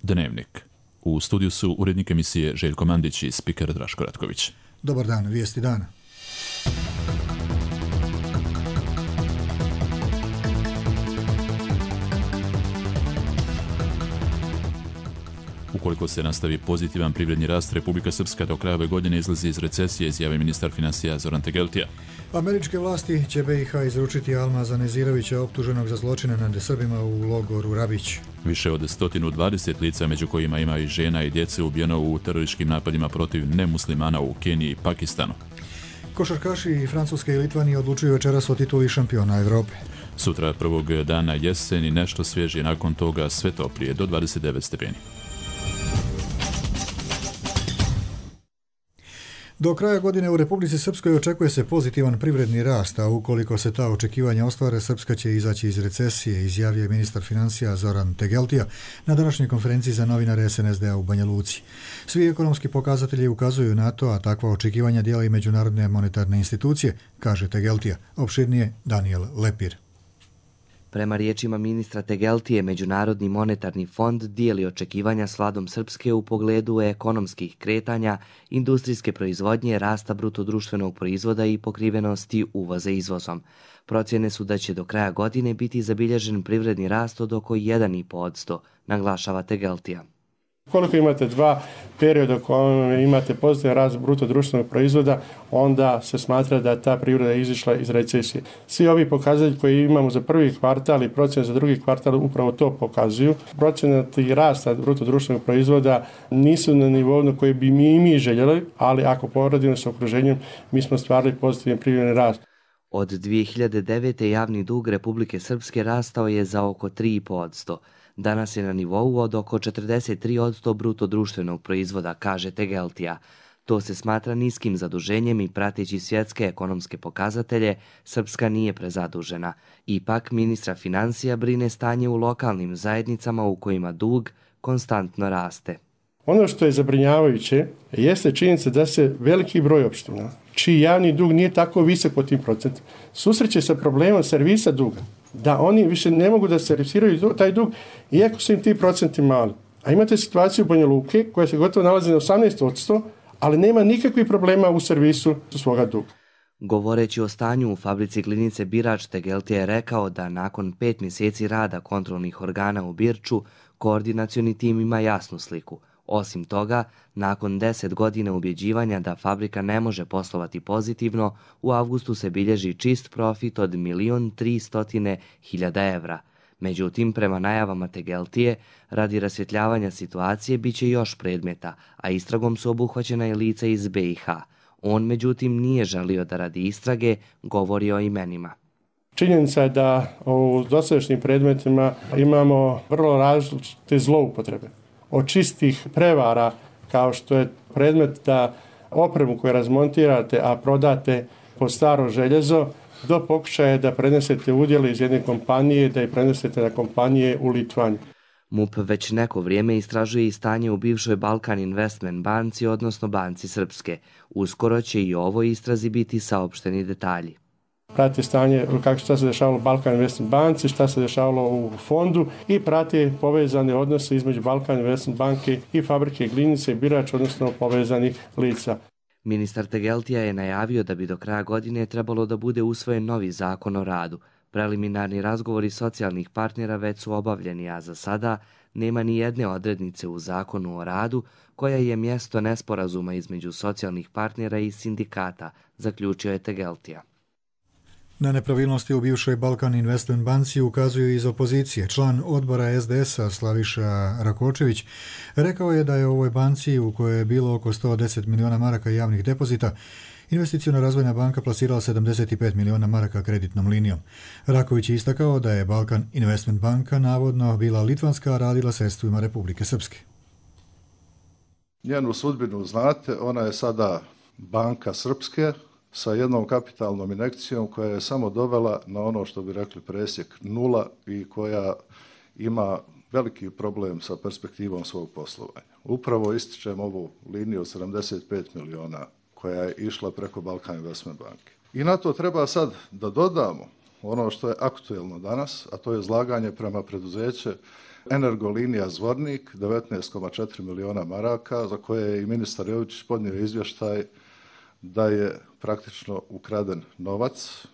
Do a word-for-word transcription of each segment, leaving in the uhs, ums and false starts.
Dnevnik. U studiju su urednik emisije Željko Mandić i spiker Draško Ratković. Dobar dan, vijesti dana. Ukoliko se nastavi pozitivan privredni rast, Republika Srpska do kraja ove godine izlazi iz recesije, izjavio ministar financija Zoran Tegeltija. Američke vlasti će be i ha izručiti Almaza Nezirovića, optuženog za zločine nad Srbima u logoru Rabić. Više od sto dvadeset lica, među kojima ima i žena i djece, ubijeno u terorističkim napadima protiv nemuslimana u Keniji i Pakistanu. Košarkaši Francuske i Litvanije odlučuju večeras o tituli šampiona Evrope. Sutra prvog dana jesen i nešto svježije, nakon toga sve toplije do dvadeset devet stepeni. Do kraja godine u Republici Srpskoj očekuje se pozitivan privredni rast, a ukoliko se ta očekivanja ostvare, Srpska će izaći iz recesije, izjavio je ministar financija Zoran Tegeltija na današnjoj konferenciji za novinare es en es de a u Banja Luci. Svi ekonomski pokazatelji ukazuju na to, a takva očekivanja dijela i međunarodne monetarne institucije, kaže Tegeltija. Opširnije Daniel Lepir. Prema riječima ministra Tegeltije, Međunarodni monetarni fond dijeli očekivanja s vladom Srpske u pogledu ekonomskih kretanja, industrijske proizvodnje, rasta bruto društvenog proizvoda i pokrivenosti uvoza izvozom. Procjene su da će do kraja godine biti zabilježen privredni rast od oko jedan zarez pet posto, naglašava Tegeltija. Koliko imate dva perioda u kojem imate pozitivan rast bruto društvenog proizvoda, onda se smatra da ta privreda izišla iz recesije. Svi ovi pokazatelji koji imamo za prvi kvartal i procjene za drugi kvartal upravo to pokazuju. Procenati rasta bruto društvenog proizvoda nisu na nivou na koji bi mi i mi željeli, ali ako poredimo s okruženjem, mi smo stvarali pozitivan privredni rast. Od dvije hiljade devete. javni dug Republike Srpske rastao je za oko tri zarez pet posto. Danas je na nivou od oko četrdeset tri posto bruto društvenog proizvoda, kaže Tegeltija. To se smatra niskim zaduženjem i prateći svjetske ekonomske pokazatelje, Srpska nije prezadužena. Ipak, ministra financija brine stanje u lokalnim zajednicama u kojima dug konstantno raste. Ono što je zabrinjavajuće jeste činjenica da se veliki broj opština, čiji javni dug nije tako visok po tim procentima, susreće sa problemom servisa duga. Da oni više ne mogu da servisiraju taj dug, iako su im ti procenti mali. A imate situaciju u Banja Luke koja se gotovo nalazi na osamnaest posto, ali nema nikakvih problema u servisu svoga duga. Govoreći o stanju u fabrici glinice Birač, Tegeltija je rekao da nakon pet mjeseci rada kontrolnih organa u Birču, koordinacioni tim ima jasnu sliku. Osim toga, nakon deset godina ubjeđivanja da fabrika ne može poslovati pozitivno, u avgustu se bilježi čist profit od milion tristo hiljada evra. Međutim, prema najavama Tegeltije, radi rasvjetljavanja situacije bit će još predmeta, a istragom su obuhvaćena i lica iz be i ha. On, međutim, nije želio da radi istrage, govori o imenima. Činjenica je da u dosadašnjim predmetima imamo vrlo različite zloupotrebe. Od čistih prevara, kao što je predmet da opremu koju razmontirate, a prodate po staro željezo, do pokušaja da prenesete udjele iz jedne kompanije, da ih prenesete na kompanije u Litvaniju. MUP već neko vrijeme istražuje i stanje u bivšoj Balkan Investment banci, odnosno Banci Srpske. Uskoro će i o ovoj istrazi biti saopšteni detalji. Prate stanje kako šta se dešavalo u Balkan Investment banci, šta se dešavalo u fondu i prate povezane odnose između Balkan Investment banke i fabrike glinice i Birač, odnosno povezanih lica. Ministar Tegeltija je najavio da bi do kraja godine trebalo da bude usvojen novi zakon o radu. Preliminarni razgovori socijalnih partnera već su obavljeni, a za sada nema ni jedne odrednice u zakonu o radu koja je mjesto nesporazuma između socijalnih partnera i sindikata, zaključio je Tegeltija. Na nepravilnosti u bivšoj Balkan Investment banci ukazuju iz opozicije. Član odbora es de es a Slaviša Rakočević rekao je da je u ovoj banci, u kojoj je bilo oko sto deset miliona maraka javnih depozita, Investiciona razvojna banka plasirala sedamdeset pet miliona maraka kreditnom linijom. Raković je istakao da je Balkan Investment banka navodno bila litvanska, a radila sredstvima Republike Srpske. Njenu sudbinu znate, ona je sada banka Srpske, sa jednom kapitalnom injekcijom koja je samo dovela na ono što bi rekli presjek nula i koja ima veliki problem sa perspektivom svog poslovanja. Upravo ističem ovu liniju od sedamdeset pet miliona koja je išla preko Balkan Investment banke. I na to treba sad da dodamo ono što je aktuelno danas, a to je izlaganje prema preduzeće Energolinija Zvornik, devetnaest zarez četiri miliona maraka, za koje je i ministar Jovičić podnio izvještaj da je praktično ukraden novac.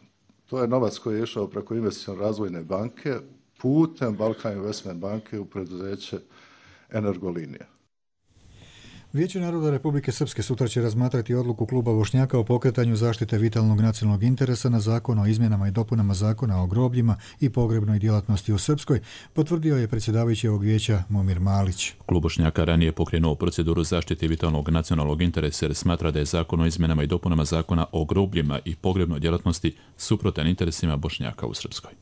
To je novac koji je išao preko Investicione razvojne banke putem Balkan Investment banke u preduzeće Energolinija. Vijeće naroda Republike Srpske sutra će razmatrati odluku kluba Bošnjaka o pokretanju zaštite vitalnog nacionalnog interesa na zakon o izmjenama i dopunama zakona o grobljima i pogrebnoj djelatnosti u Srpskoj, potvrdio je predsjedavajući ovog vijeća Momir Malić. Klub Bošnjaka ranije pokrenuo proceduru zaštite vitalnog nacionalnog interesa jer smatra da je zakon o izmjenama i dopunama zakona o grobljima i pogrebnoj djelatnosti suprotan interesima Bošnjaka u Srpskoj.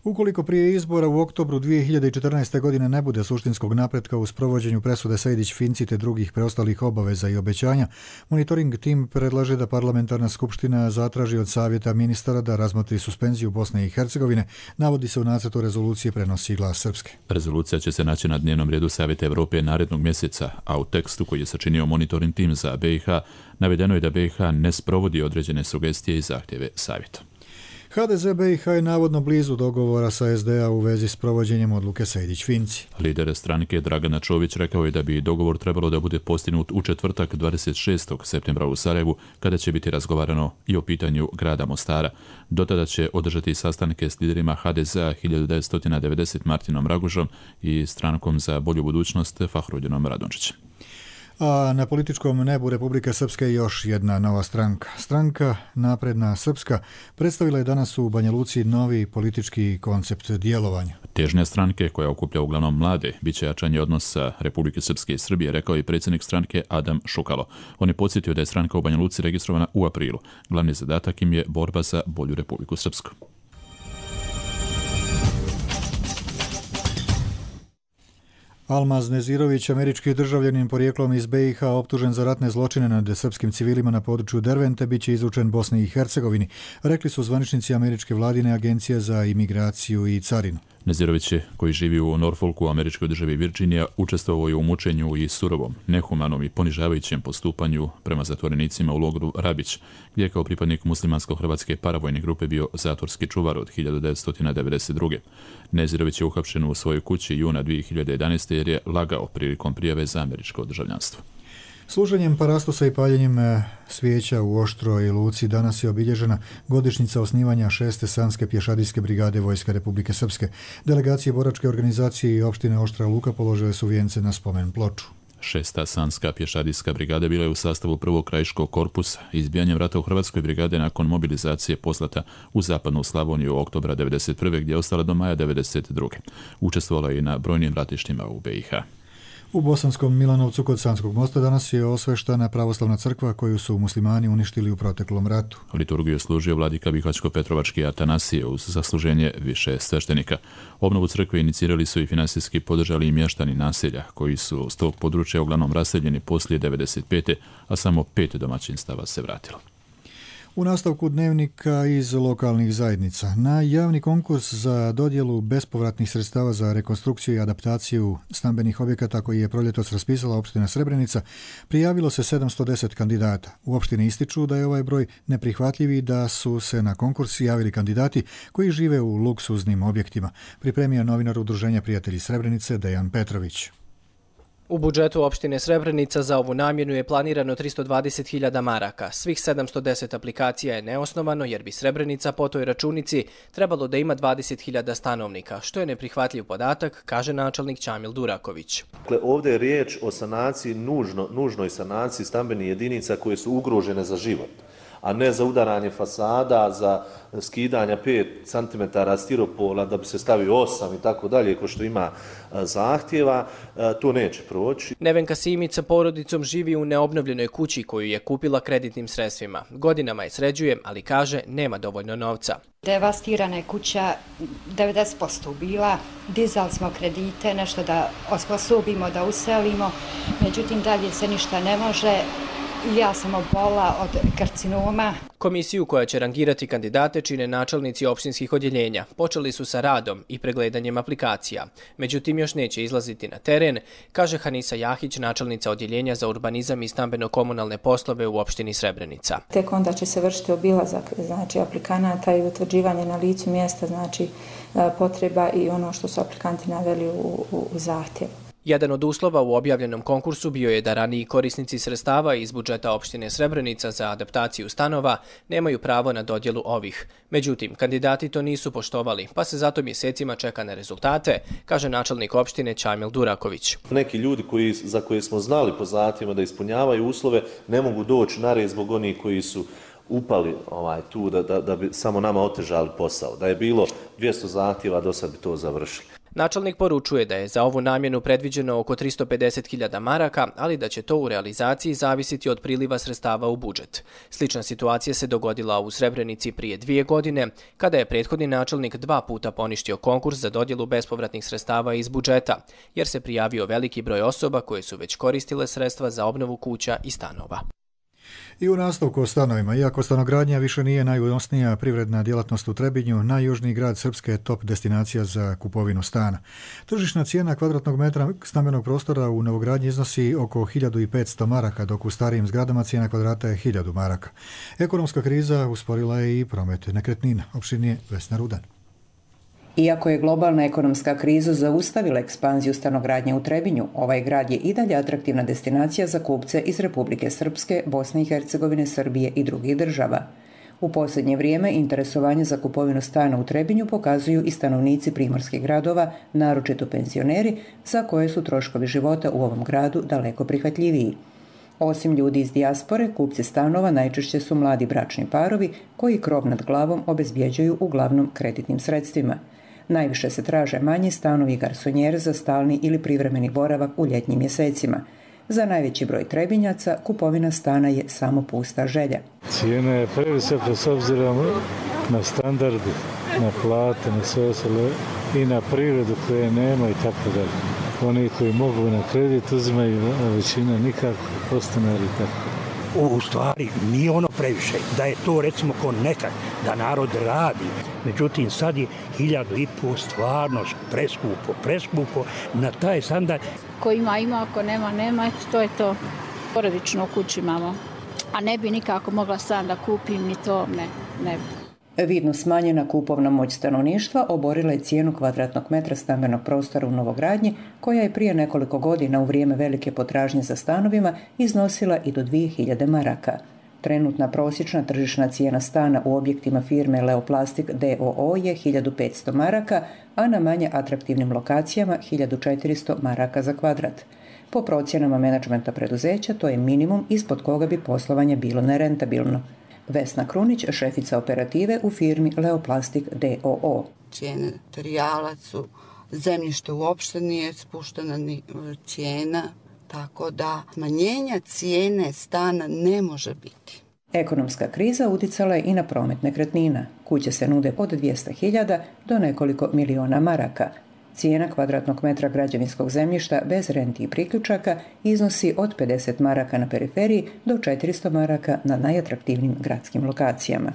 Ukoliko prije izbora u oktobru dvije hiljade četrnaeste. godine ne bude suštinskog napretka u sprovođenju presude Sejdić-Finci te drugih preostalih obaveza i obećanja, monitoring tim predlaže da parlamentarna skupština zatraži od savjeta ministara da razmotri suspenziju Bosne i Hercegovine, navodi se u nacrtu rezolucije, prenosi Glas Srpske. Rezolucija će se naći na dnevnom redu Savjeta Evrope narednog mjeseca, a u tekstu koji je sačinio monitoring tim za B i H navedeno je da B i H ne sprovodi određene sugestije i zahtjeve savjeta. ha de ze be i ha je navodno blizu dogovora sa es de a u vezi s provođenjem odluke Sejdić-Finci. Lider stranke Dragana Čović rekao je da bi dogovor trebalo da bude postignut u četvrtak dvadeset šestog septembra u Sarajevu, kada će biti razgovarano i o pitanju grada Mostara. Do tada će održati sastanke s liderima ha de zea hiljadu devetsto devedeset Martinom Ragužom i strankom za bolju budućnost Fahrudjinom Radončićem. A na političkom nebu Republike Srpske još jedna nova stranka. Stranka Napredna Srpska predstavila je danas u Banja Luci novi politički koncept djelovanja. Težnja stranke, koja okuplja uglavnom mlade, bit će jačanje odnosa Republike Srpske i Srbije, rekao je predsjednik stranke Adam Šukalo. On je podsjetio da je stranka u Banja Luci registrovana u aprilu. Glavni zadatak im je borba za bolju Republiku Srpsku. Almaz Nezirović, američki državljanin porijeklom iz be i ha, optužen za ratne zločine nad srpskim civilima na području Dervente, bit će izručen Bosni i Hercegovini, rekli su zvaničnici američke vladine agencije za imigraciju i carinu. Nezirović, koji živi u Norfolku u američkoj državi Virginija, učestvovao je u mučenju i surovom, nehumanom i ponižavajućem postupanju prema zatvorenicima u logoru Rabić, gdje je kao pripadnik muslimansko-hrvatske paravojne grupe bio zatvorski čuvar od hiljadu devetsto devedeset druge. Nezirović je uhapšen u svojoj kući juna dvije hiljade jedanaeste. jer je lagao prilikom prijave za američko državljanstvo. Služenjem parastosa i paljenjem svijeća u Oštroj Luci danas je obilježena godišnjica osnivanja šeste sanske pješadijske brigade Vojske Republike Srpske. Delegacije boračke organizacije i opštine Oštra Luka položile su vijence na spomen ploču. Šesta sanska pješadijska brigada bila je u sastavu prvog krajiškog korpusa. Izbijanjem rata u Hrvatskoj brigade nakon mobilizacije poslata u zapadnu Slavoniju u oktobra devedeset prve. gdje je ostala do maja devedeset druge. Učestvovala je i na brojnim ratištima u be i ha. U Bosanskom Milanovcu kod Sanskog mosta danas je osveštana pravoslavna crkva koju su muslimani uništili u proteklom ratu. Liturgiju je služio vladika Bihaćko-Petrovački Atanasije uz zasluženje više sveštenika. Obnovu crkve inicirali su i finansijski podržali i mještani naselja, koji su s tog područja uglavnom raseljeni poslije devedeset pete. a samo pet domaćinstava se vratilo. U nastavku dnevnika iz lokalnih zajednica. Na javni konkurs za dodjelu bespovratnih sredstava za rekonstrukciju i adaptaciju stambenih objekata koji je proljetos raspisala opština Srebrenica prijavilo se sedamsto deset kandidata. U opštini ističu da je ovaj broj neprihvatljiv i da su se na konkurs javili kandidati koji žive u luksuznim objektima, pripremio novinar Udruženja Prijatelji Srebrenice Dejan Petrović. U budžetu opštine Srebrenica za ovu namjenu je planirano tristo dvadeset hiljada maraka. Svih sedamsto deset aplikacija je neosnovano jer bi Srebrenica po toj računici trebalo da ima dvadeset hiljada stanovnika, što je neprihvatljiv podatak, kaže načelnik Ćamil Duraković. Dakle, ovdje je riječ o sanaciji, nužno, nužnoj sanaciji stambenih jedinica koje su ugrožene za život, a ne za udaranje fasada, za skidanja pet centimetara stiropola da bi se stavio osam i tako dalje, ko što ima zahtjeva, to neće proći. Nevenka Simić sa porodicom živi u neobnovljenoj kući koju je kupila kreditnim sredstvima. Godinama je sređuje, ali kaže nema dovoljno novca. Devastirana je kuća, devedeset posto bila, dizali smo kredite, nešto da osposobimo, da uselimo, međutim dalje se ništa ne može. Ja sam obola od karcinoma. Komisiju koja će rangirati kandidate čine načelnici opštinskih odjeljenja. Počeli su sa radom i pregledanjem aplikacija. Međutim, još neće izlaziti na teren, kaže Hanisa Jahić, načelnica odjeljenja za urbanizam i stambeno-komunalne poslove u opštini Srebrenica. Tek onda će se vršiti obilazak, znači, aplikanata i utvrđivanje na licu mjesta, znači, potreba i ono što su aplikanti naveli u, u, u zahtjevu. Jedan od uslova u objavljenom konkursu bio je da raniji korisnici sredstava iz budžeta opštine Srebrenica za adaptaciju stanova nemaju pravo na dodjelu ovih. Međutim, kandidati to nisu poštovali, pa se zato mjesecima čeka na rezultate, kaže načelnik opštine Čajmil Duraković. Neki ljudi koji, za koje smo znali po zahtjevima da ispunjavaju uslove ne mogu doći na red zbog onih koji su upali ovaj, tu da, da, da bi samo nama otežali posao. Da je bilo dvjesto zahtjeva, do sad bi to završili. Načelnik poručuje da je za ovu namjenu predviđeno oko tristo pedeset hiljada maraka, ali da će to u realizaciji zavisiti od priliva sredstava u budžet. Slična situacija se dogodila u Srebrenici prije dvije godine, kada je prethodni načelnik dva puta poništio konkurs za dodjelu bespovratnih sredstava iz budžeta, jer se prijavio veliki broj osoba koje su već koristile sredstva za obnovu kuća i stanova. I u nastavku o stanovima, iako stanogradnja više nije najunosnija privredna djelatnost u Trebinju, najjužniji grad Srpske je top destinacija za kupovinu stana. Tržišna cijena kvadratnog metra stambenog prostora u novogradnji iznosi oko hiljadu petsto maraka, dok u starijim zgradama cijena kvadrata je hiljadu maraka. Ekonomska kriza usporila je i promet nekretnina. Opširnije Vesna Rudan. Iako je globalna ekonomska kriza zaustavila ekspanziju stanogradnje u Trebinju, ovaj grad je i dalje atraktivna destinacija za kupce iz Republike Srpske, Bosne i Hercegovine, Srbije i drugih država. U posljednje vrijeme interesovanje za kupovinu stana u Trebinju pokazuju i stanovnici primorskih gradova, naročito penzioneri, za koje su troškovi života u ovom gradu daleko prihvatljiviji. Osim ljudi iz dijaspore, kupci stanova najčešće su mladi bračni parovi koji krov nad glavom obezbjeđuju uglavnom kreditnim sredstvima. Najviše se traže manji stanovi i garsonjere za stalni ili privremeni boravak u ljetnjim mjesecima. Za najveći broj Trebinjaca kupovina stana je samo pusta želja. Cijena je previsoka s obzirom na standarde, na plate, na sve ostalo i na prirodu koje nema i tako dalje. Oni koji mogu na kredit uzimaju, a većina nikako, postanari i tako. U stvari nije ono previše, da je to recimo ko nekad, da narod radi. Međutim, sad je hiljadu i pol stvarno preskupo, preskupo na taj standard. Ko ima, ima, ako nema, nema, eto, to je to. Porodično u kući imamo, a ne bi nikako mogla stan da kupim, ni to, ne, ne bi. Vidno smanjena kupovna moć stanovništva oborila je cijenu kvadratnog metra stambenog prostora u novogradnji, koja je prije nekoliko godina u vrijeme velike potražnje za stanovima iznosila i do dvije hiljade maraka. Trenutna prosječna tržišna cijena stana u objektima firme Leoplastik d o o je hiljadu petsto maraka, a na manje atraktivnim lokacijama hiljadu četiristo maraka za kvadrat. Po procjenama menadžmenta preduzeća, to je minimum ispod koga bi poslovanje bilo nerentabilno. Vesna Krunić, šefica operative u firmi Leoplastik d o o. Cijene materijala su, zemljište uopšte nije spuštena ni cijena, tako da smanjenja cijene stana ne može biti. Ekonomska kriza uticala je i na promet nekretnina. Kuće se nude od dvjesto hiljada do nekoliko miliona maraka. Cijena kvadratnog metra građevinskog zemljišta bez renti i priključaka iznosi od pedeset maraka na periferiji do četiristo maraka na najatraktivnijim gradskim lokacijama.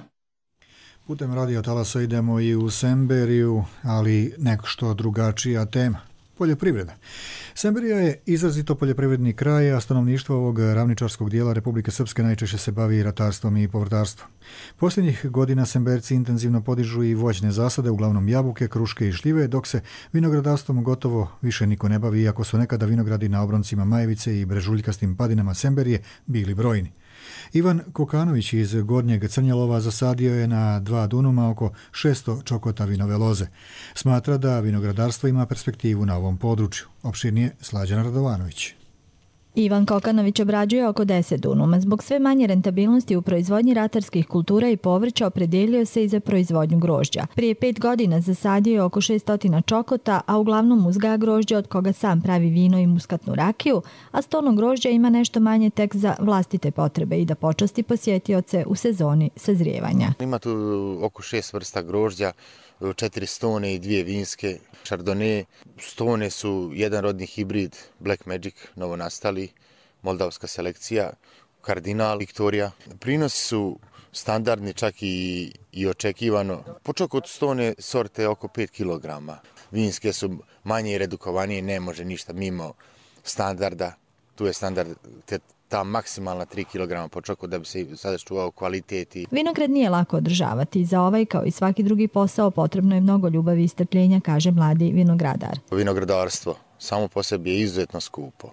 Putem radio talasa idemo i u Semberiju, ali nešto drugačija tema. Poljoprivreda. Semberija je izrazito poljoprivredni kraj, a stanovništvo ovog ravničarskog dijela Republike Srpske najčešće se bavi ratarstvom i povrtarstvom. Posljednjih godina Semberci intenzivno podižu i voćne zasade, uglavnom jabuke, kruške i šljive, dok se vinogradarstvom gotovo više niko ne bavi, iako su nekada vinogradi na obroncima Majevice i brežuljkastim padinama Semberije bili brojni. Ivan Kokanović iz Gornjeg Crnjalova zasadio je na dva dunuma oko šesto čokota vinove loze. Smatra da vinogradarstvo ima perspektivu na ovom području. Opširnije Slađana Radovanović. Ivan Kokanović obrađuje oko deset dunuma. Zbog sve manje rentabilnosti u proizvodnji ratarskih kultura i povrća opredjelio se i za proizvodnju grožđa. Prije pet godina zasadio je oko šesto čokota, a uglavnom uzgaja grožđe od koga sam pravi vino i muskatnu rakiju, a stolno grožđa ima nešto manje tek za vlastite potrebe i da počasti posjetioce u sezoni sazrijevanja. Ima tu oko šest vrsta grožđa, četiri stone i dvije vinske. Chardonnay, stone su jedan rodni hibrid Black Magic, novonastali, moldavska selekcija, Kardinal, Viktorija. Prinosi su standardni, čak i, i očekivano. Počak od stone sorte oko pet kilograma. Vinske su manje i redukovanije, ne može ništa mimo standarda. Tu je standard te, ta maksimalna tri kilograma po čoku da bi se sada čuvao kvaliteti. Vinograd nije lako održavati. Za ovaj, kao i svaki drugi posao, potrebno je mnogo ljubavi i strpljenja, kaže mladi vinogradar. Vinogradarstvo samo po sebi je izuzetno skupo.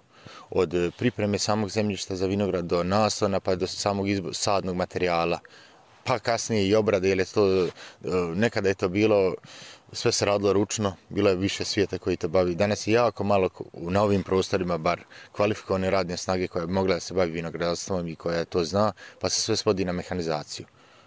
Od pripreme samog zemljišta za vinograd do naslona pa do samog izbo- sadnog materijala, pa kasnije i obrade, jer je to, nekada je to bilo, sve se radilo ručno, bilo je više svijeta koji to bavi. Danas je jako malo na ovim prostorima bar kvalifikovane radne snage koja bi mogla da se bavi vinogradarstvom i koja to zna, pa se sve svodi na mehanizaciju.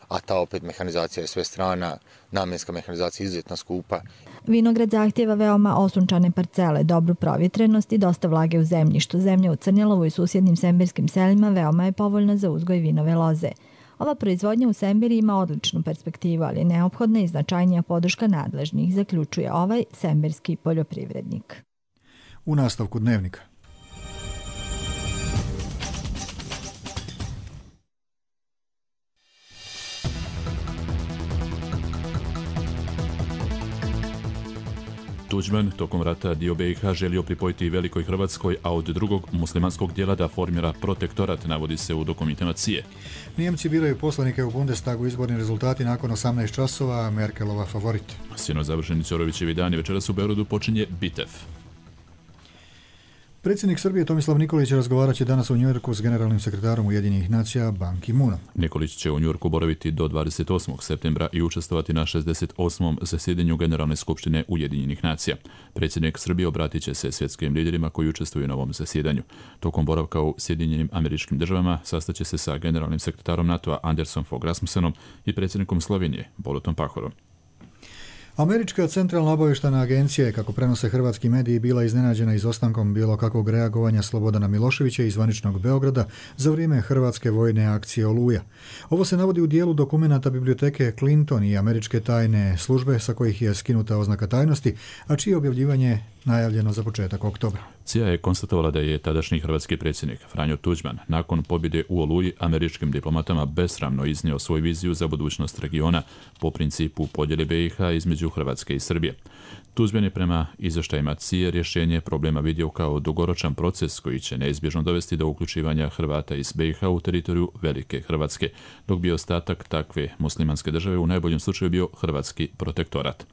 A ta opet mehanizacija je sve strana, namjenska mehanizacija je izuzetno skupa. Vinograd zahtjeva veoma osunčane parcele, dobru provjetrenost i dosta vlage u zemljištu. Zemlja u Crnjelovu i susjednim sembirskim selima veoma je povoljna za uzgoj vinove loze. Ova proizvodnja u Sembiri ima odličnu perspektivu, ali je neophodna i značajnija podrška nadležnih, zaključuje ovaj sembirski poljoprivrednik. U nastavku dnevnika. Tuđman tokom rata dio B i H želio pripojiti Velikoj Hrvatskoj, a od drugog muslimanskog dijela da formira protektorat, navodi se u dokumentima C I E. Nijemci biraju poslanike u Bundestagu, izborni rezultati nakon osamnaest časova, Merkelova favorit. Sinoć završeni Ćorovićevi dani, večeras u Beogradu počinje Bitev. Predsjednik Srbije Tomislav Nikolić razgovarat će danas u Njujorku s generalnim sekretarom Ujedinjenih nacija Ban Ki-moonom. Nikolić će u Njujorku boraviti do dvadeset osmog septembra i učestvovati na šezdeset osmom zasjedanju Generalne skupštine Ujedinjenih nacija. Predsjednik Srbije obratit će se svjetskim liderima koji učestvuju na ovom zasjedanju. Tokom boravka u Sjedinjenim Američkim Državama sastaće se sa generalnim sekretarom NATO-a Andersom Fogh Rasmussenom i predsjednikom Slovenije Borutom Pahorom. Američka centralna obavještajna agencija je, kako prenose hrvatski mediji, bila iznenađena izostankom bilo kakvog reagovanja Slobodana Miloševića iz zvaničnog Beograda za vrijeme hrvatske vojne akcije Oluja. Ovo se navodi u dijelu dokumenata biblioteke Clinton i američke tajne službe sa kojih je skinuta oznaka tajnosti, a čije objavljivanje najavljeno za početak oktobra. C I A je konstatovala da je tadašnji hrvatski predsjednik Franjo Tuđman nakon pobjede u Oluji američkim diplomatama besramno iznio svoju viziju za budućnost regiona po principu podjele B i H između Hrvatske i Srbije. Tuđman je prema izvještajima C I A rješenje problema vidio kao dugoročan proces koji će neizbježno dovesti do uključivanja Hrvata iz B i H u teritoriju Velike Hrvatske, dok bi ostatak takve muslimanske države u najboljem slučaju bio hrvatski protektorat.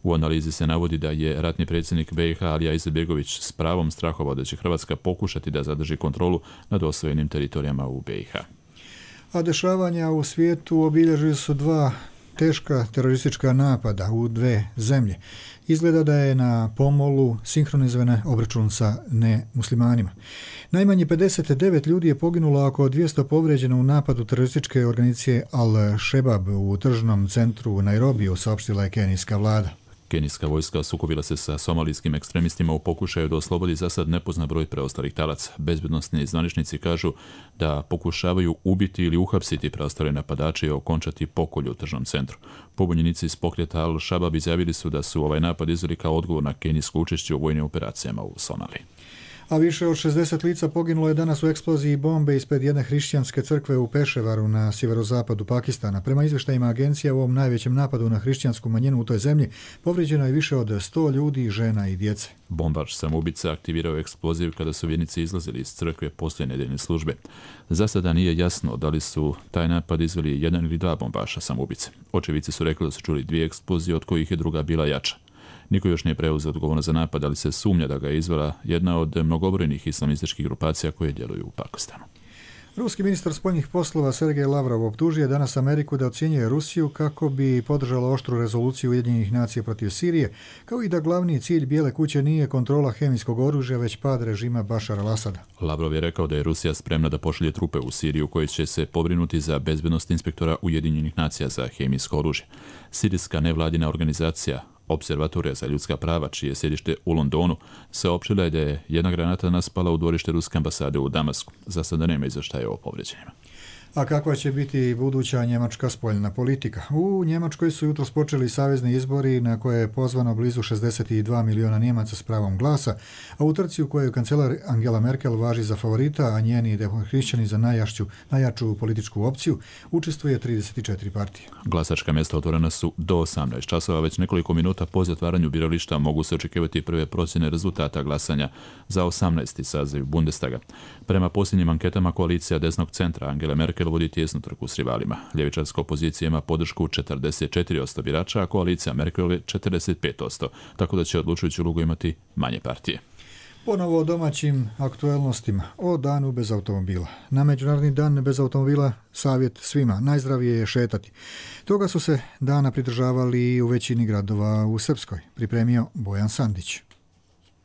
U analizi se navodi da je ratni predsjednik B i H Alija Izetbegović s pravom strahovao da će Hrvatska pokušati da zadrži kontrolu nad osvojenim teritorijama u B i H. A dešavanja u svijetu obilježili su dva teška teroristička napada u dve zemlje. Izgleda da je na pomolu sinhronizovan obračun sa nemuslimanima. Najmanje pedeset devet ljudi je poginulo, oko dvjesto povrijeđeno u napadu terorističke organizacije Al-Shebab u tržnom centru u Nairobiju, saopštila je kenijska vlada. Kenijska vojska sukobila se sa somalijskim ekstremistima u pokušaju da oslobodi za sad nepoznat broj preostalih talaca. Bezbednosni zvaničnici kažu da pokušavaju ubiti ili uhapsiti preostale napadače i okončati pokolj u tržnom centru. Pobunjenici iz pokreta Al-Shabab izjavili su da su ovaj napad izveli kao odgovor na kenijsko učešće u vojnim operacijama u Somaliji. A više od šezdeset lica poginulo je danas u eksploziji bombe ispred jedne hrišćanske crkve u Peševaru na sjeverozapadu Pakistana. Prema izvještajima agencija, u ovom najvećem napadu na hrišćansku manjinu u toj zemlji povrijeđeno je više od sto ljudi, žena i djece. Bombaš samoubica aktivirao eksploziv kada su vjernici izlazili iz crkve poslije nedeljne službe. Za sada nije jasno da li su taj napad izveli jedan ili dva bombaša samoubice. Očevici su rekli da su čuli dvije eksplozije, od kojih je druga bila jača. Niko još nije preuzeo odgovornost za napad, ali se sumnja da ga je izvela jedna od mnogobrojnih islamističkih grupacija koje djeluju u Pakistanu. Ruski ministar spoljnih poslova Sergej Lavrov optužio je danas Ameriku da ocjenjuje Rusiju kako bi podržala oštru rezoluciju Ujedinjenih nacija protiv Sirije, kao i da glavni cilj Bijele kuće nije kontrola hemijskog oružja, već pad režima Bašara al-Asada. Lavrov je rekao da je Rusija spremna da pošalje trupe u Siriju koje će se pobrinuti za bezbednost inspektora Ujedinjenih nacija za hemijsko oružje. Sirijska nevladina organizacija Observatorija za ljudska prava, čije je sjedište u Londonu, saopštila je da je jedna granata naspala u dvorište ruske ambasade u Damasku. Za sada nema izvještaja o povređenjima. A kakva će biti buduća njemačka spoljna politika? U Njemačkoj su jutros počeli savezni izbori na koje je pozvano blizu šezdeset dva miliona Njemaca s pravom glasa, a u trci u kojoj kancelar Angela Merkel važi za favorita, a njeni demohrišćani za najjašću, najjaču političku opciju, učestvuje trideset četiri partije. Glasačka mjesta otvorena su do osamnaest časova. Već nekoliko minuta po zatvaranju birališta mogu se očekivati prve procjene rezultata glasanja za osamnaesti saziv Bundestaga. Prema posljednjim anketama koalicija desnog centra Angela Merkel vodi tijesnu trku s rivalima. Ljevičarska opozicija ima podršku četrdeset četiri posto birača, a koalicija Merkelove četrdeset pet posto, tako da će odlučujuću ulogu imati manje partije. Ponovo o domaćim aktuelnostima, o danu bez automobila. Na Međunarodni dan bez automobila savjet svima, najzdravije je šetati. Toga su se dana pridržavali i u većini gradova u Srpskoj, pripremio Bojan Sandić.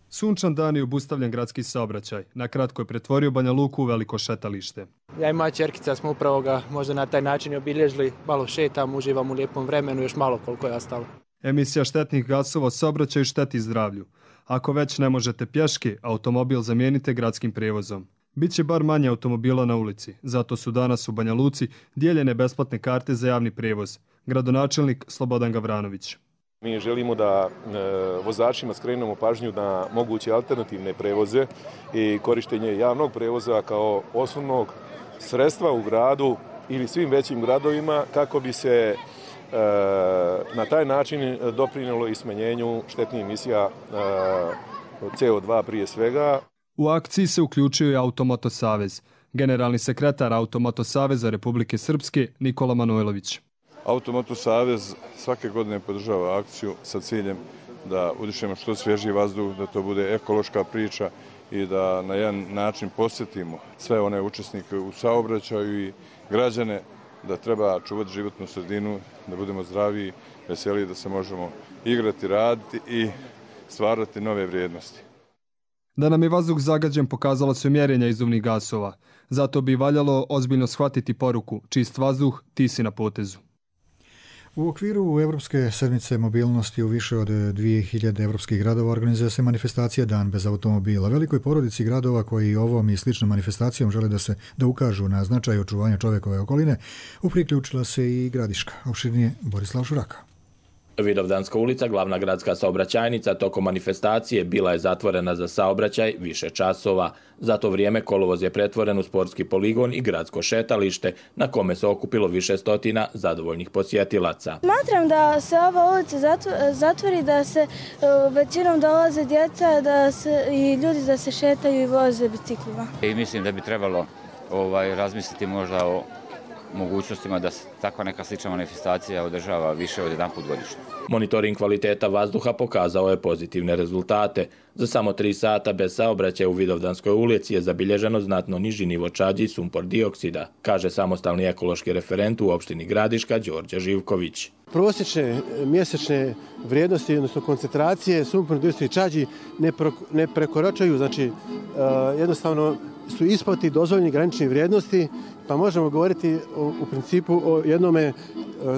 Sunčan dan je obustavljen gradski saobraćaj. Na kratko je pretvorio Banja Luku u veliko šetalište. Ja i moja ćerkica smo upravo ga možda na taj način obilježili. Malo šetam, uživam u lijepom vremenu, još malo koliko je ostalo. Emisija štetnih gasova u saobraćaju šteti zdravlju. Ako već ne možete pješke, automobil zamijenite gradskim prijevozom. Biće bar manje automobila na ulici, zato su danas u Banja Luci dijeljene besplatne karte za javni prijevoz. Gradonačelnik Slobodan Gavranović. Mi želimo da e, vozačima skrenemo pažnju na moguće alternativne prevoze i korištenje javnog prevoza kao osnovnog sredstva u gradu ili svim većim gradovima kako bi se e, na taj način doprinijelo i smanjenju štetnih emisija e, C O dva prije svega. U akciji se uključio i Automoto Savez. Generalni sekretar Automoto Saveza Republike Srpske Nikola Manojlović. Automoto Savez svake godine podržava akciju sa ciljem da udišemo što svježiji vazduh, da to bude ekološka priča i da na jedan način posjetimo sve one učesnike u saobraćaju i građane da treba čuvati životnu sredinu, da budemo zdraviji, veseliji, da se možemo igrati, raditi i stvarati nove vrijednosti. Da nam je vazduh zagađen pokazalo se mjerenja izduvnih gasova. Zato bi valjalo ozbiljno shvatiti poruku čist vazduh, ti si na potezu. U okviru Evropske sedmice mobilnosti u više od dvije hiljade evropskih gradova organizuje se manifestacija Dan bez automobila. Velikoj porodici gradova koji ovom i sličnom manifestacijom žele da se da ukažu na značaj očuvanja čovjekove okoline, upriključila se i Gradiška. Opširnije Borislav Šuraka. Vidovdanska ulica, glavna gradska saobraćajnica, tokom manifestacije bila je zatvorena za saobraćaj više časova. Za to vrijeme kolovoz je pretvoren u sportski poligon i gradsko šetalište na kome se okupilo više stotina zadovoljnih posjetilaca. Smatram da se ova ulica zatvori, da se većinom dolaze djeca da se, i ljudi da se šetaju i voze biciklima. I mislim da bi trebalo ovaj, razmisliti možda o mogućnostima da se takva neka slična manifestacija održava više od jedan put godišnje. Monitoring kvaliteta vazduha pokazao je pozitivne rezultate. Za samo tri sata bez saobraćaja u Vidovdanskoj ulici je zabilježeno znatno niži nivo čađi i sumpor dioksida, kaže samostalni ekološki referent u opštini Gradiška Đorđe Živković. Prosječne mjesečne vrijednosti, odnosno koncentracije sumpor dioksida i čađi ne, pro, ne prekoračaju, znači uh, jednostavno su ispod dozvoljenih graničnih vrijednosti, pa možemo govoriti o, u principu o jednome uh,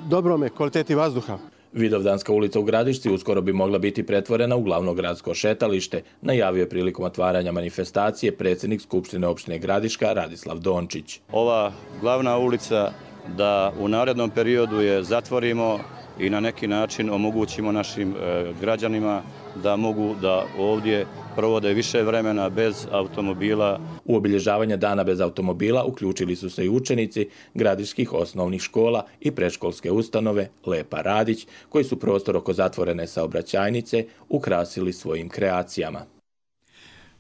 dobrome kvaliteti vazduha. Vidovdanska ulica u Gradišci uskoro bi mogla biti pretvorena u glavno gradsko šetalište, najavio je prilikom otvaranja manifestacije predsjednik Skupštine opštine Gradiška Radislav Dončić. Ova glavna ulica da u narednom periodu je zatvorimo i na neki način omogućimo našim e, građanima da mogu da ovdje provode više vremena bez automobila. U obilježavanje dana bez automobila uključili su se i učenici gradiških osnovnih škola i predškolske ustanove Lepa Radić, koji su prostor oko zatvorene saobraćajnice ukrasili svojim kreacijama.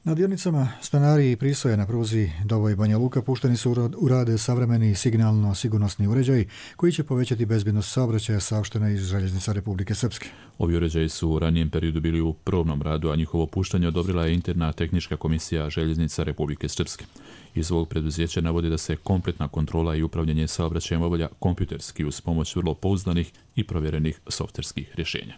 Na dionicama Stanari i Prisoje na pruzi Doboj Banja Luka pušteni su u rade savremeni signalno-sigurnosni uređaji koji će povećati bezbjednost saobraćaja, saopštena iz Željeznica Republike Srpske. Ovi uređaji su u ranijem periodu bili u probnom radu, a njihovo puštanje odobrila je interna tehnička komisija Željeznica Republike Srpske. Iz ovog preduzeća navodi da se kompletna kontrola i upravljanje saobraćajem obavlja kompjuterski uz pomoć vrlo pouzdanih i provjerenih softverskih rješenja.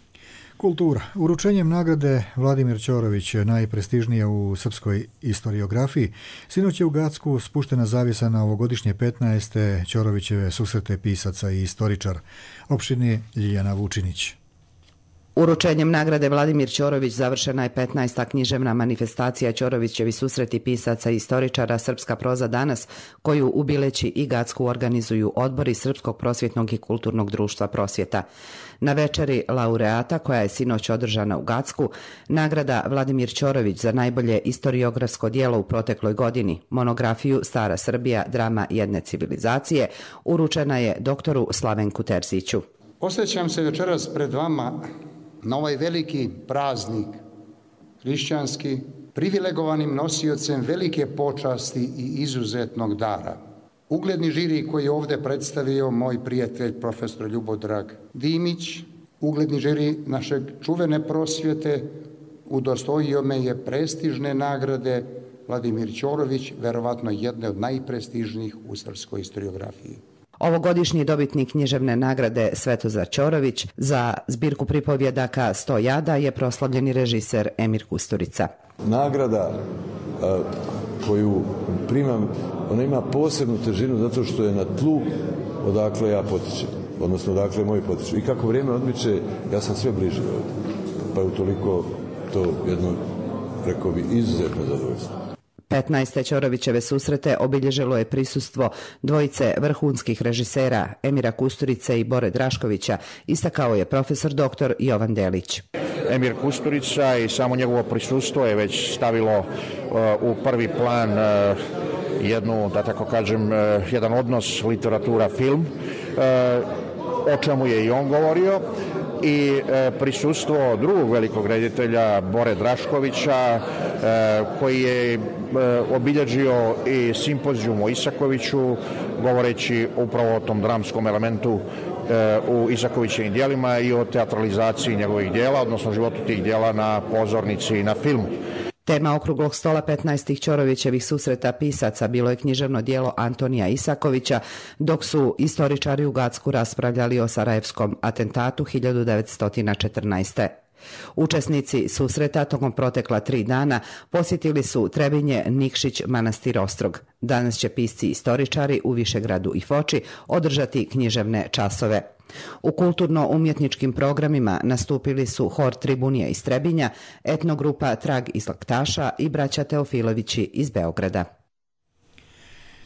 Kultura. Uručenjem nagrade Vladimir Ćorović, najprestižnija u srpskoj historiografiji, sinoć je u Gacku spuštena zavjesa na ovogodišnje petnaeste Ćorovićeve susrete pisaca i istoričara. Opširnije Ljiljana Vučinić. Uručenjem nagrade Vladimir Ćorović završena je petnaesta književna manifestacija Ćorovićevi susreti pisaca i istoričara Srpska proza danas, koju u Bileći i Gacku organizuju odbori Srpskog prosvjetnog i kulturnog društva Prosvjeta. Na večeri laureata, koja je sinoć održana u Gacku, nagrada Vladimir Ćorović za najbolje istoriografsko djelo u protekloj godini, monografiju Stara Srbija, drama jedne civilizacije, uručena je doktoru Slavenku Terziću. Osjećam se večeras pred vama na ovaj veliki praznik hrišćanski, privilegovanim nosiocem velike počasti i izuzetnog dara. Ugledni žiri koji je ovdje predstavio moj prijatelj profesor Ljubodrag Dimić, ugledni žiri našeg čuvene prosvjete, udostojio me je prestižne nagrade Vladimir Ćorović, verovatno jedne od najprestižnijih u srpskoj historiografiji. Ovogodišnji dobitnik književne nagrade Svetozar Ćorović za zbirku pripovjedaka Sto jada je proslavljeni režiser Emir Kusturica. Nagrada a, koju primam, ona ima posebnu težinu zato što je na tlu odakle ja potičem, odnosno odakle moji potiču. I kako vrijeme odmiče, ja sam sve bliže ovdje. Pa je utoliko to jedno, rekao bi, izuzetno zadovoljstvo. petnaeste Ćorovićeve susrete obilježilo je prisustvo dvojice vrhunskih režisera Emira Kusturice i Bore Draškovića, istakao je profesor doktor Jovan Delić. Emir Kusturica i samo njegovo prisustvo je već stavilo uh, u prvi plan uh, jednu, da tako kažem, uh, jedan odnos literatura-film, uh, o čemu je i on govorio. I e, prisustvo drugog velikog reditelja Bore Draškovića e, koji je e, obilježio i simpozijum o Isakoviću govoreći upravo o tom dramskom elementu e, u Isakovićevim djelima i o teatralizaciji njegovih djela, odnosno životu tih djela na pozornici i na filmu. Tema okruglog stola petnaestih Ćorovićevih susreta pisaca bilo je književno djelo Antonija Isakovića, dok su istoričari u Gacku raspravljali o sarajevskom atentatu hiljadu devetsto četrnaeste. Učesnici susreta tokom protekla tri dana posjetili su Trebinje, Nikšić, Manastir Ostrog. Danas će pisci i istoričari u Višegradu i Foči održati književne časove. U kulturno-umjetničkim programima nastupili su Hor Tribunija iz Trebinja, etnogrupa Trag iz Laktaša i braća Teofilovići iz Beograda.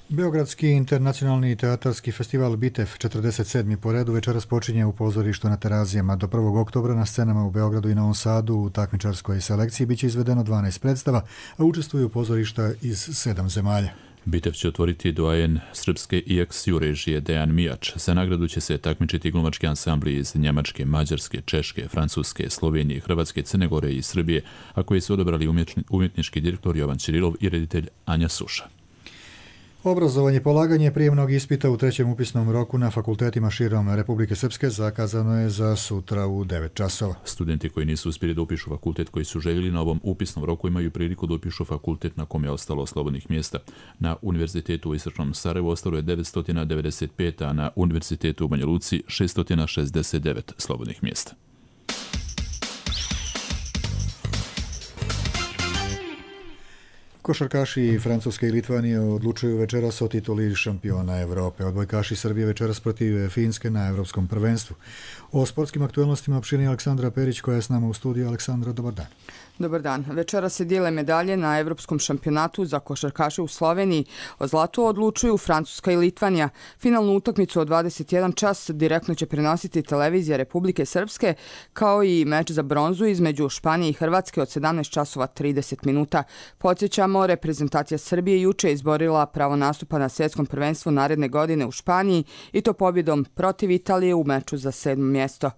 Beogradski internacionalni teatarski festival Bitev, četrdeset sedmi po redu, večeras počinje u pozorištu na Terazijama. Do prvog oktobra na scenama u Beogradu i Novom Sadu u takmičarskoj selekciji biće izvedeno dvanaest predstava, a učestvuju pozorišta iz sedam zemalja. Bitev će otvoriti doajen srpske I X U režije Dejan Mijač. Za nagradu će se takmičiti glumački ansambli iz Njemačke, Mađarske, Češke, Francuske, Slovenije, Hrvatske, Crne Gore i Srbije, a koji su odabrali umjetnički direktor Jovan Čirilov i reditelj Anja Suša. Obrazovanje polaganje prijemnog ispita u trećem upisnom roku na fakultetima širom Republike Srpske zakazano je za sutra u devet časova. Studenti koji nisu uspjeli da upišu fakultet koji su željeli na ovom upisnom roku imaju priliku da upišu fakultet na kom je ostalo slobodnih mjesta. Na Univerzitetu u Istočnom Sarajevu ostalo je devetsto devedeset pet, a na Univerzitetu u Banja Luci šesto šezdeset devet slobodnih mjesta. Košarkaši Francuske i Litvanije odlučuju večeras o tituli šampiona Evrope. Odbojkaši Srbije večeras protiv Finske na Evropskom prvenstvu. O sportskim aktualnostima opširnije Aleksandra Perić koja je s nama u studiju. Aleksandra, dobar dan. Dobar dan. Večera se dijele medalje na Evropskom šampionatu za košarkaše u Sloveniji. O zlatu odlučuju Francuska i Litvanija. Finalnu utakmicu od dvadeset jedan čas direktno će prenositi televizija Republike Srpske, kao i meč za bronzu između Španije i Hrvatske od sedamnaest časova trideset minuta. Podsjećamo, reprezentacija Srbije juče izborila pravo nastupa na svjetskom prvenstvu naredne godine u Španiji i to pobjedom protiv Italije u meču za sedmo mjesto.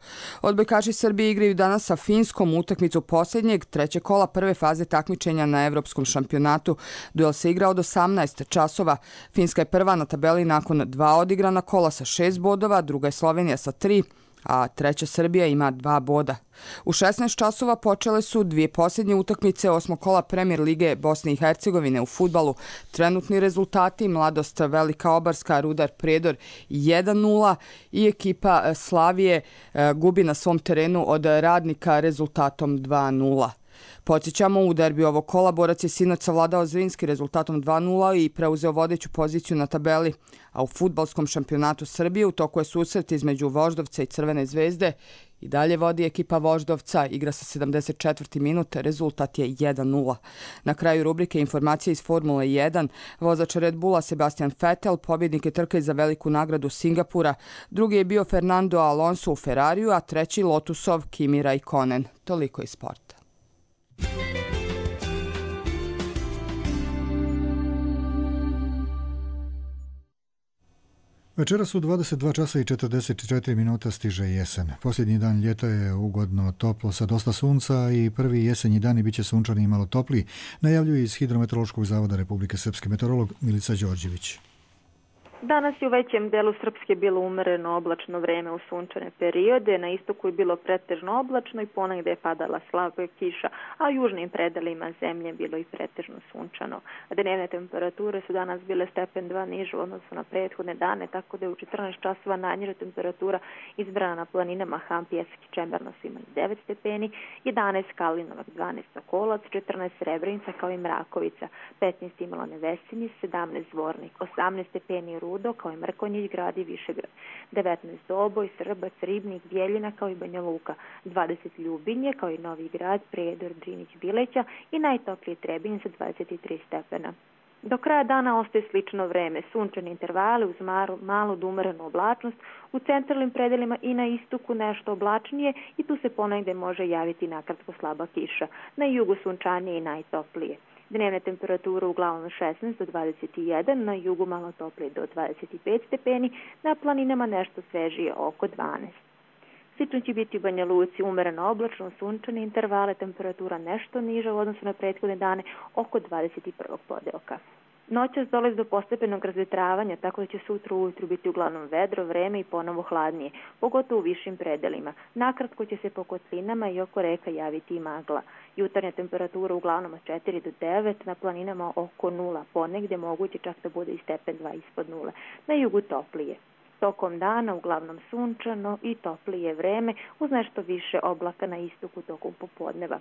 Odbojkaši Srbije igraju danas sa Finskom utakmicu posljednjeg trećeg kola prve faze takmičenja na Evropskom šampionatu. Duel se igra od osamnaest časova. Finska je prva na tabeli nakon dva odigrana kola sa šest bodova, druga je Slovenija sa tri, a treća Srbija ima dva boda. U šesnaest časova počele su dvije posljednje utakmice osmog kola Premier lige Bosne i Hercegovine u fudbalu. Trenutni rezultati: Mladost Velika Obarska, Rudar Prijedor jedan nula i ekipa Slavije gubi na svom terenu od Radnika rezultatom dva nula. Podsjećamo, u derbiju ovog kola Borac je sinoć savladao Zrinski rezultatom dva nula i preuzeo vodeću poziciju na tabeli, a u fudbalskom šampionatu Srbije u toku je susret između Voždovca i Crvene zvezde I dalje vodi ekipa Voždovca, igra se sedamdeset četvrti minut, rezultat je jedan nula. Na kraju rubrike informacije iz Formule jedan, vozač Red Bulla Sebastian Vettel, pobjednik je trke za veliku nagradu Singapura, drugi je bio Fernando Alonso u Ferrariju, a treći Lotusov Kimi Raikkonen. Toliko iz sporta. Večeras u dvadeset dva časa i četrdeset četiri minuta stiže jesen. Posljednji dan ljeta je ugodno toplo sa dosta sunca i prvi jesenji dani bit će sunčani i malo topliji, najavljuje iz Hidrometeorološkog zavoda Republike Srpske meteorolog Milica Đorđević. Danas je u većem delu Srpske bilo umereno oblačno vreme u sunčane periode, na istoku je bilo pretežno oblačno i ponegde je padala slaba kiša, a u južnim predelima zemlje bilo i pretežno sunčano. Dnevne temperature su danas bile stepen dva niže u odnosu na prethodne dane, tako da je u četrnaest časova najniža temperatura izbrana na planinama Hampijevski Čemberno su imali devet stepeni, jedanaest Kalinovac, dvanaest Sokolac, četrnaest Srebrenica kao i Mrakovica, petnaest imala Nevesinje, sedamnaest Zvornik, osamnaest stepeni Rudo kao i Mrkonjić grad i Višegrad, devetnaest Doboj, Srbac, Ribnik, Bjeljina kao i Banja Luka, dvadeset Ljubinje kao i Novi Grad, Prijedor, Drinić, Bileća i najtoplije Trebinje sa dvadeset tri stepena. Do kraja dana ostaje slično vreme, sunčani intervali uz malu do umerenu oblačnost, u centralnim predelima i na istoku nešto oblačnije i tu se ponegde može javiti nakratko slaba kiša, na jugu sunčanije i najtoplije. Dnevne temperature uglavnom šesnaest do dvadeset jedan, na jugu malo toplije do dvadeset pet stepeni, na planinama nešto svežije oko dvanaest. Slično će biti u Banja Luci, umereno oblačno, sunčane intervale, temperatura nešto niža u odnosu na prethodne dane, oko dvadeset prvog podelka. Noćas dolazi do postepenog razvetravanja, tako da će sutra ujutru biti uglavnom vedro, vreme i ponovo hladnije, pogotovo u višim predelima. Nakratko će se po kotlinama i oko reka javiti i magla. Jutarnja temperatura uglavnom od četiri do devet, na planinama oko nula, ponegde moguće čak da bude i stepen dva ispod nule. Na jugu toplije. Tokom dana uglavnom sunčano i toplije vreme uz nešto više oblaka na istoku tokom popodneva.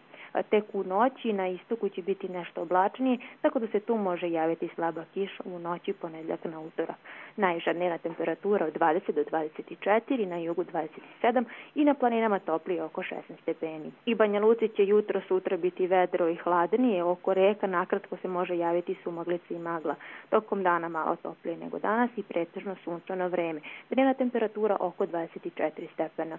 Tek u noći na istoku će biti nešto oblačnije, tako da se tu može javiti slaba kiša u noći ponedjeljak na utorak. Najniža dnevna temperatura od dvadeset do dvadeset četiri, na jugu dvadeset sedam i na planinama toplije oko šesnaest stepeni. I Banja Luci će jutro sutra biti vedro i hladnije, oko reka nakratko se može javiti sumaglica i magla. Tokom dana malo toplije nego danas i pretežno sunčano vreme. Dnevna temperatura oko dvadeset četiri stepena.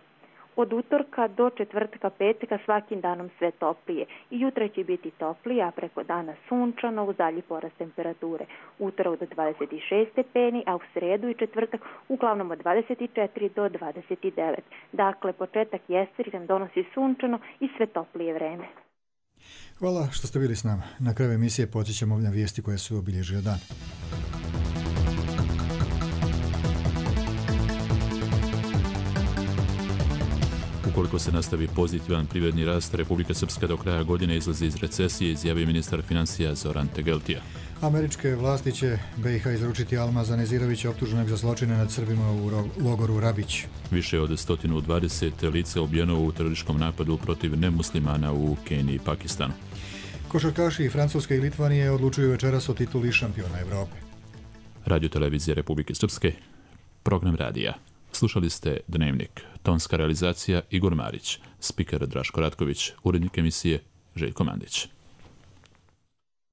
Od utorka do četvrtka, petka svakim danom sve toplije. I jutra će biti toplije, a preko dana sunčano uz dalji porast temperature. Utorak do dvadeset šest stepeni, a u sredu i četvrtak uglavnom od dvadeset četiri do dvadeset devet. Dakle, početak jeseri nam donosi sunčano i sve toplije vreme. Hvala što ste bili s nama. Na kraju emisije podsjećamo na vijesti koje su obilježile dan. Ukoliko se nastavi pozitivan privredni rast, Republika Srpska do kraja godine izlazi iz recesije, izjavio ministar financija Zoran Tegeltija. Američke vlasti će B i H izručiti Almaza Nezirovića, optuženog za zločine nad Srbima u logoru Rabić. Više od sto dvadeset lica ubijeno u terorističkom napadu protiv nemuslimana u Keniji i Pakistanu. Košarkaši Francuske i Litvanije odlučuju večeras o tituli šampiona Evrope. Radio televizije Republike Srpske, program radija. Slušali ste Dnevnik, tonska realizacija Igor Marić, spiker Draško Ratković, urednik emisije Željko Mandić.